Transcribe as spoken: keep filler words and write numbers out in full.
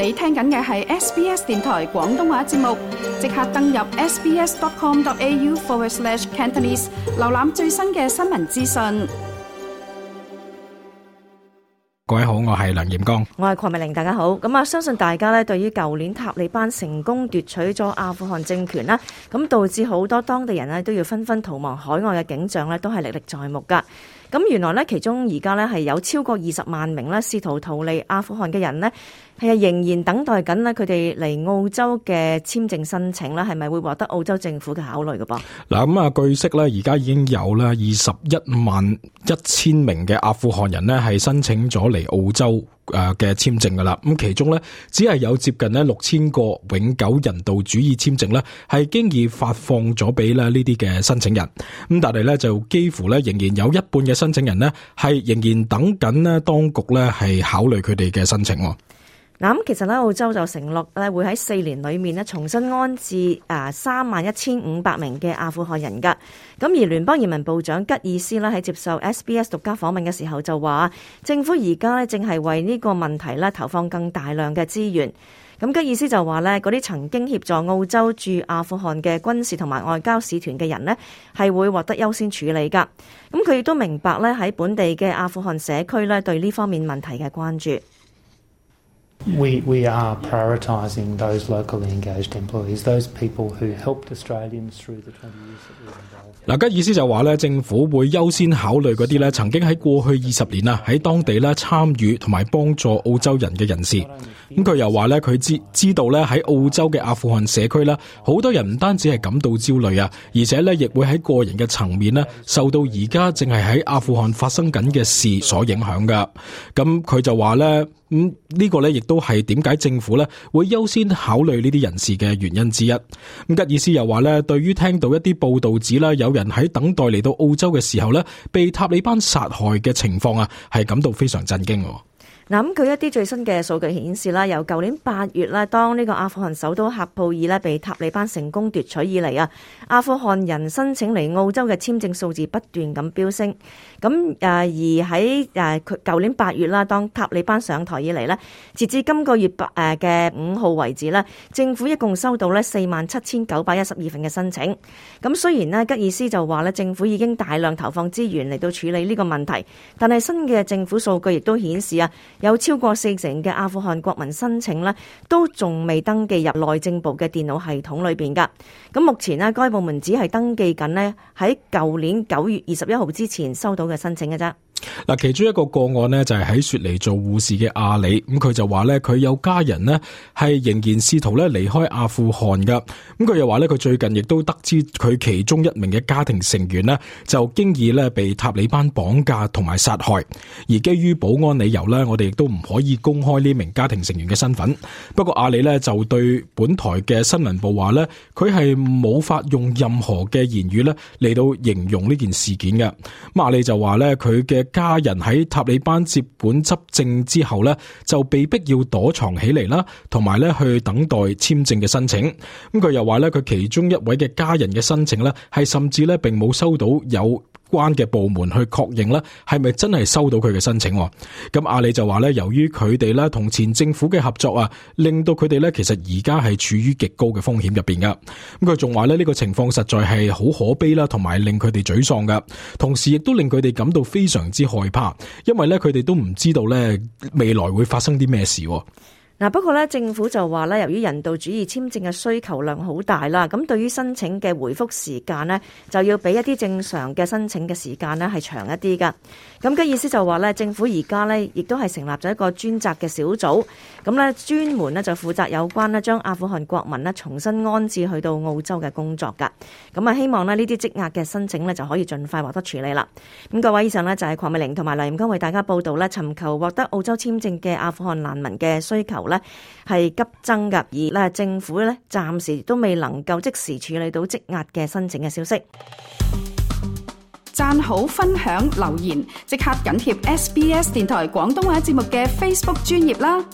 你聽緊嘅係 S B S 電台廣東話節目，即刻登入 sbs.com.au forward slash Cantonese， 瀏覽最新嘅新聞資訊。各位好，我係梁炎光，我係鄺美玲，大家好。咁啊，相信大家咧對於舊年塔利班成功奪取咗阿富汗政權啦，咁導致好多當地人咧都要紛紛逃亡海外嘅景象咧，都係歷歷在目噶。咁原來咧，其中而家咧係有超過二十萬名咧試圖逃離阿富汗嘅人呢，係仍然等待緊咧佢哋嚟澳洲嘅簽證申請啦，係咪會獲得澳洲政府嘅考慮嘅噃？嗱，咁啊，據悉咧，而家已經有咧二十一萬一千名嘅阿富汗人呢係申請咗嚟澳洲誒嘅簽證噶啦。咁其中咧只係有接近咧六千個永久人道主義簽證咧係經已發放咗俾咧呢啲嘅申請人。咁但係咧就幾乎咧仍然有一半嘅申請人呢係仍然等緊呢當局咧係考慮佢哋嘅申請。嗱，咁其實咧澳洲就承諾咧會喺四年裏面咧重新安置啊三萬一千五百名嘅阿富汗人噶。咁而聯邦移民部長吉爾斯咧喺接受 S B S 獨家訪問嘅時候就話，政府而家咧正係為呢個問題咧投放更大量嘅資源。咁吉爾斯就話咧，嗰啲曾經協助澳洲駐阿富汗嘅軍事同埋外交使團嘅人呢係會獲得優先處理噶。咁佢亦都明白咧喺本地嘅阿富汗社區咧對呢方面問題嘅關注。We we are prioritising those locally engaged employees, those people who helped Australians through the twenty years that we were involved. 嗱，吉爾斯就話咧，政府會優先考慮嗰啲咧曾經喺過去二十年啊喺當地咧參與同埋幫助澳洲人嘅人士。咁佢又話咧，佢知知道咧喺澳洲嘅阿富汗社區啦，好多人唔單止係感到焦慮啊，而且咧亦會喺個人嘅層面咧受到而家正係喺阿富汗發生緊嘅事所影響噶。咁佢就話咧。咁、嗯這個、呢個咧，亦都係點解政府咧會優先考慮呢啲人士嘅原因之一。咁吉爾斯又話咧，對於聽到一啲報道指啦，有人喺等待嚟到澳洲嘅時候咧，被塔利班殺害嘅情況啊，係感到非常震驚。嗱，咁佢一啲最新嘅數據顯示啦，由舊年八月啦，當呢個阿富汗首都喀布爾咧被塔利班成功奪取以嚟啊，阿富汗人申請嚟澳洲嘅簽證數字不斷咁飆升。咁誒而喺誒佢舊年八月啦，當塔利班上台以嚟咧，截至今個月八誒嘅五號為止咧，政府一共收到咧四萬七千九百一十二份嘅申請。咁雖然咧吉爾斯就話咧，政府已經大量投放資源嚟到處理呢個問題，但係新嘅政府數據亦都顯示啊，有超過四成嘅阿富汗國民申請呢都仲未登記入內政部嘅電腦系統裏邊噶。咁目前呢，該部門只係登記緊呢喺舊年九月二十一號之前收到嘅申請嘅啫。嗱，其中一個個案呢，就係喺雪梨做護士嘅阿里，咁佢就話呢，佢有家人呢係仍然試圖咧離開阿富汗噶，咁佢又話呢，佢最近亦都得知佢其中一名嘅家庭成員呢就經已咧被塔利班綁架同埋殺害，而基於保安理由呢，我哋亦都唔可以公開呢名家庭成員嘅身份。不過阿里呢就對本台嘅新聞部話呢，佢係冇法用任何嘅言語呢嚟到形容呢件事件嘅。咁阿里就話呢，佢嘅家人喺塔利班接管執政之後呢，就被逼要躲藏起嚟啦，同埋呢去等待簽證嘅申請。咁佢又話呢，佢其中一位嘅家人嘅申請呢，係甚至呢並冇收到有關嘅部門去確認呢係咪真係收到佢嘅申請。咁阿里就話呢，由於佢哋呢同前政府嘅合作啊，令到佢哋呢其實而家係處於極高嘅風險入邊噶。咁佢仲話呢，呢個情況實在係好可悲啦，同埋令佢哋沮喪噶，同時亦都令佢哋感到非常之害怕，因為呢佢哋都唔知道呢未來會發生啲咩事。嗱，不過咧，政府就話咧，由於人道主義簽證嘅需求量好大啦，咁對於申請嘅回覆時間呢，就要比一啲正常嘅申請嘅時間呢係長一啲噶。咁嘅意思就話咧，政府而家呢亦都係成立咗一個專責嘅小組，咁咧專門呢就負責有關呢將阿富汗國民呢重新安置去到澳洲嘅工作噶。咁啊，希望呢呢啲積壓嘅申請呢就可以盡快獲得處理啦。咁各位，以上呢就係鄺美玲同埋梁炎光為大家報道呢尋求獲得澳洲簽證嘅阿富汗難民嘅需求咧係急增噶，而咧政府咧暫時都未能夠即時處理到積壓嘅申請嘅消息。讚好、分享、留言，即刻緊貼 S B S 電台廣東話節目嘅 Facebook 專頁啦！